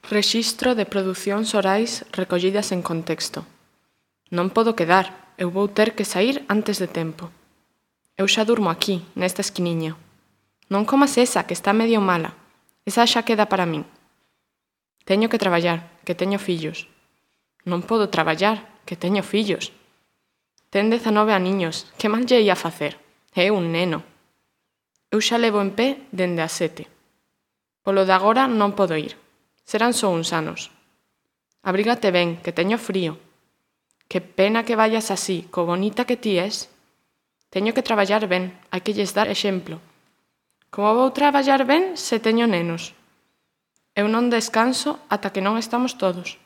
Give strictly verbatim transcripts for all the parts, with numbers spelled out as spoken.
Rexistro de producións orais recollidas en contexto. Non podo quedar, eu vou ter que saír antes de tempo. Eu xa durmo aquí, nesta esquiniña. Non comas esa, que está medio mala. Esa xa queda para min. Teño que traballar, que teño fillos. Non podo traballar, que teño fillos. Ten dezanove aniños, que mal lle ia facer? É un neno. Eu xa levo en pé dende as sete. Polo de agora non podo ir. Serán só uns anos. Abrígate ben, que teño frío. Que pena que vayas así, co bonita que ti és. Teño que traballar ben, hai que lles dar exemplo. Como vou traballar ben se teño nenos? Eu non descanso ata que non estamos todos.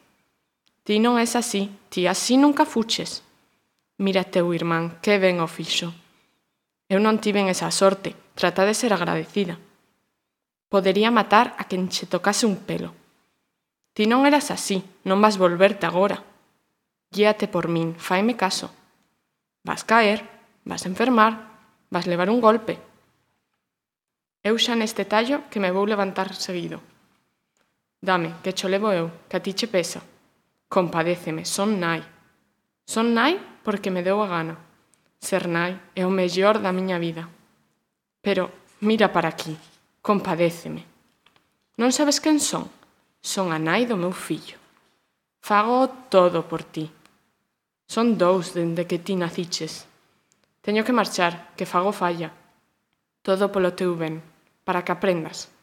Ti non és así, ti así nunca fuches. Mira teu irmán, que ben o fixo. Eu non tiven esa sorte, trata de ser agradecida. Podería matar a quen che tocase un pelo. Ti non eras así, non vas volverte agora. Guíate por min, faime caso. Vas caer, vas enfermar, vas levar un golpe. Eu xa neste tallo que me vou levantar seguido. Dame, que cho levo eu, que a ti che pesa. Compadéceme, son nai. Son nai porque me deu a gana. Ser nai é o mellor da miña vida. Pero mira para aquí, compadéceme. Non sabes quen son? Son a nai do meu fillo. Fago todo por ti. Son dous dende que ti naciches. Teño que marchar, que fago falla. Todo polo teu ben, para que aprendas.